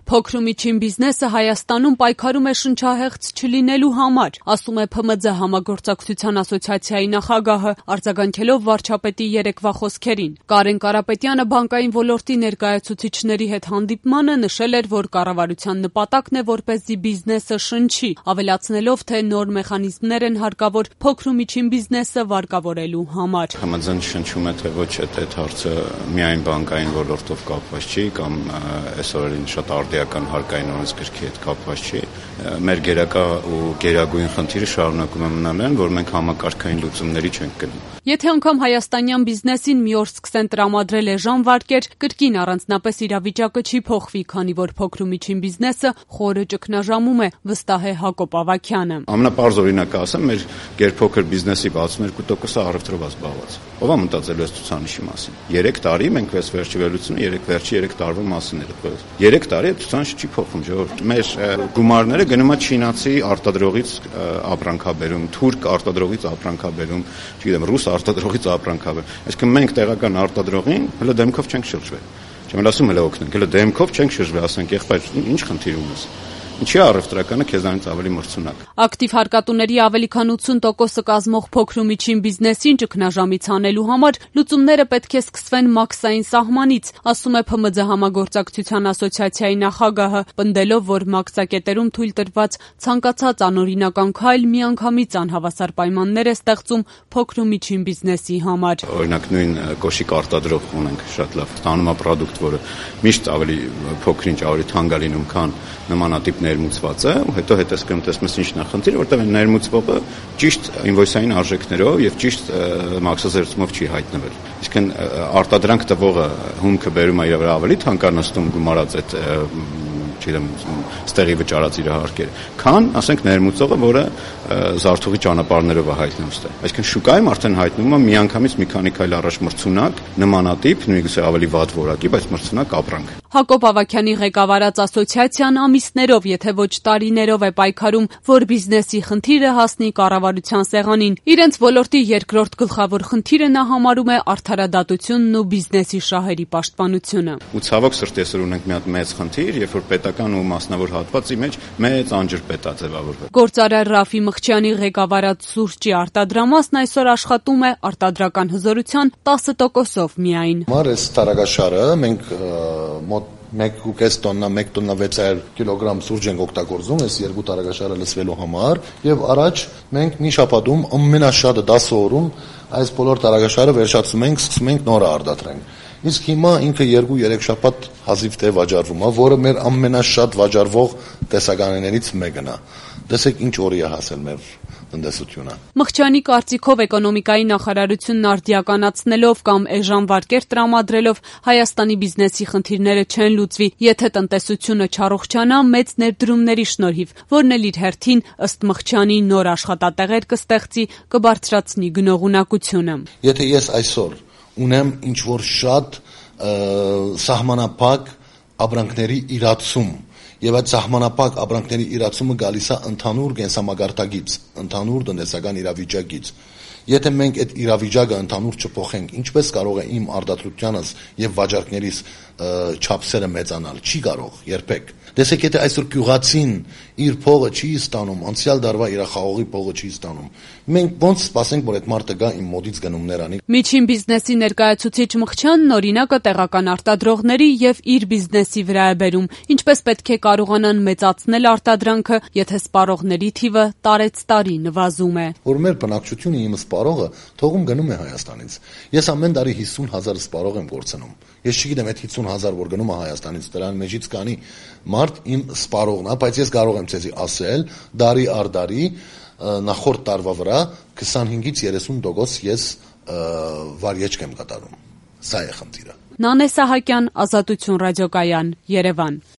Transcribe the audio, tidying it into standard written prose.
Փոքր ու միջին բիզնեսը Հայաստանում պայքարում է շնչահեղձ չլինելու համար, ասում է ՓՄՁ համագործակցության ասոցիացիայի նախագահը, արձագանքելով վարչապետի երեկվա խոսքերին։ Կարեն Կարապետյանը բանկային ոլորտի ներկայացուցիչների հետ հանդիպմանը նշել էր, որ կառավարության նպատակն է, որպեսզի բիզնեսը շնչի, ավելացնելով, թե նոր մեխանիզմներ են հարկավոր փոքր ու միջին բիզնեսը վարկավորելու համար։ ՀՄԶ-ն շնչում է, թե ոչ, այդ հարցը միայն բանկային ոլորտով կապված չի կամ այս օրերին շատ արդիական հարկային օրենսգրքի հետ կապված չի։ Մեր գերակա ու գերագույն խնդիրը շարունակում է մնալ այն, որ մենք համակարգային լուծումների չենք գնում։ Եթե անգամ հայաստանյան բիզնեսին մի օր սկսեն տրամադրել էժան վարկեր, կրկին առանձնապես իրավիճակը չի փոխվի, քանի որ փոքր ու միջին բիզնեսը խորը ճգնաժամում է, վստահ է Հակոբ Ավագյանը։ Ամենապարզ օրինակը ասեմ, մեր գերփոքր բիզնեսի 62%-ը առևտրով է զբաղված։ Ո՞վ է մտածելու այս ցուցանիշի մասին։ 3 տարի մենք վերջի վերլուծությունը 3 տարվա մասին էր տվել։ 3 տարի այդ ցուցանիշը չի փոխվում, ժողովուրդ։ Մեր գումարները գնում է չինացի արտադրողից ապրանքաբերում, թուրք արտադրողից ապրանքաբերում, չգիտեմ, ռուս արտադրողից ապրանքաբերում։ Այսինքն մենք տեղական արտադրողին հələ դեմքով չենք շրջվել։ Չեմ ասում հələ օգնենք, հələ դեմքով չենք շրջվել, ասենք, եղբայր, ինչ խնդիր ունես։ Ինչի առևտրականը քեզանից ավելի մրցունակ։ Ակտիվ հարկատուների ավելի քան 80%-ը կազմող փոքր ու միջին բիզնեսին ճգնաժամից հանելու համար լուծումները պետք է սկսվեն մաքսային սահմանից, ասում է ՓՄԶ համագործակցության ասոցիացիայի նախագահը, պնդելով, որ մաքսակետերում թույլ տրված ցանկացած անօրինական քայլ միանգամից անհավասար պայմաններ է ստեղծում փոքր ու միջին բիզնեսի համար։ Օրինակ նույն կոշիկ արտադրող ունենք շատ լավ, ստանում է պրոդուկտ, որը միշտ ավելի փոքրինչ ավելի թանկ է լինում, քան նմանատիպ ներմուծված է, ու հետո հետեսկրում տեսնում ես ինչն է խնդիրը, որտեղ այն ներմուծվողը ճիշտ ինվոյսային արժեքներով եւ ճիշտ մաքսազերծումով չի հայտնվել։ Իսկն արտադրանք տվողը հումքը բերում է իր վրա ավելի թանկանստում գումարած այդ չգիտեմ, ստեղի վճարած իր հարկերը, քան, ասենք, ներմուծողը, որը զարթողի ճանապարհներով է հայտնվում ստեղ։ Այսինքն շուկայում արդեն հայտնվում է միանգամից մի քանի քայլ առաջ մրցունակ, նմանատիպ, նույնիսկ ավելի վատ որակի, բայց մրցունակ ապրանք։ Հակոբ Ավագյանի ղեկավարած ասոցիացիան ամիսներով, եթե ոչ տարիներով է պայքարում, որ բիզնեսի խնդիրը հասնի կառավարության սեղանին։ Իրենց ոլորտի երկրորդ գլխավոր խնդիրը նա համարում է արդարադատությունն ու բիզնեսի շահերի պաշտպանությունը։ Ու ցավոք սրտի այսօր ունենք մի հատ մեծ խնդիր, երբ որ պետական ու մասնավոր հատվածի մեջ մեծ անջրպետ է ձևավորվել։ Գործարար Ռաֆի Մխչյանի ղեկավարած սուրճի արտադրամասն այսօր աշխատում է արտադրական հզորության 10%-ով միայն։ Այս տարագաշարը մենք մոտ 1.5 տոննա, 1 տոննա 600 կիլոգրամ սուրճ ենք օգտագործում այս երկու տարագաշարը լցվելու համար, եւ առաջ մենք մի շաբաթում ամենաշատը 10 օրում այս բոլոր տարագաշարը վերջացնում ենք, սկսում ենք նորը արտադրենք։ Իսկ հիմա ինքը 2-3 շաբաթ հազիվ թե վաճառվում է, որը մեր ամենաշատ վաճառվող տեսականիներից մեկն է։ Տեսեք ինչ օրի է հասել մեր տնտեսությունը։ Մխչյանի կարծիքով էկոնոմիկայի նախարարությունն արդիականացնելով կամ էժան վարկեր տրամադրելով Հայաստանի բիզնեսի խնդիրները չեն լուծվի, եթե տնտեսությունը չառողջանա մեծ ներդրումների շնորհիվ, որն էլ իր հերթին ըստ Մխչյանի նոր աշխատատեղեր կստեղծի, կբարձրացնի գնողունակությունը։ Եթե ես այսօր ունեմ ինչ որ շատ սահմանափակ ապրանքների իրացում, եւ այդ սահմանափակ ապրանքների իրացումը գալիս է ընդհանուր կենսամագարտակից, ընդհանուր տնտեսական իրավիճակից։ Եթե մենք այդ իրավիճակը ընդհանուր չփոխենք, ինչպես կարող է իմ արտադրությանս եւ վաճառքներիս չափսերը մեծանալ, չի կարող երբեք։ Տեսեք, եթե այսօր գյուղացին իր փողը չի ստանում, անցյալ դարվա իր խաղողի փողը չի ստանում, մենք ոնց սպասենք, որ այդ մարդը գա իմ մոտից գնումներ անի։ Միջին բիզնեսի ներկայացուցիչ Մխչյանն օրինակը տեղական արտադրողների եւ իր բիզնեսի վրա է բերում, ինչպես պետք է կարողանան մեծացնել արտադրանքը, եթե սպառողների թիվը տարեցտարի նվազում է։ Որ մեր բնակչությունը իմ սպառողը թողում գնում է Հայաստանից։ Ես ամեն տարի 50,000 սպառող եմ կորցնում։ Ես չգիտեմ այդ 50,000 որ գնում է Հայաստանից, դրան մեջից կանի մարդ իմ սպառողն է, բայց ես կարող եմ ցեզի ասել, դարի առ դարի նախորդ տարվա վրա 25-ից 30% ես վարիեջք եմ կատարում։ Սա է խնդիրը։ Նանե Սահակյան, Ազատություն ռադիոկայան, Երևան։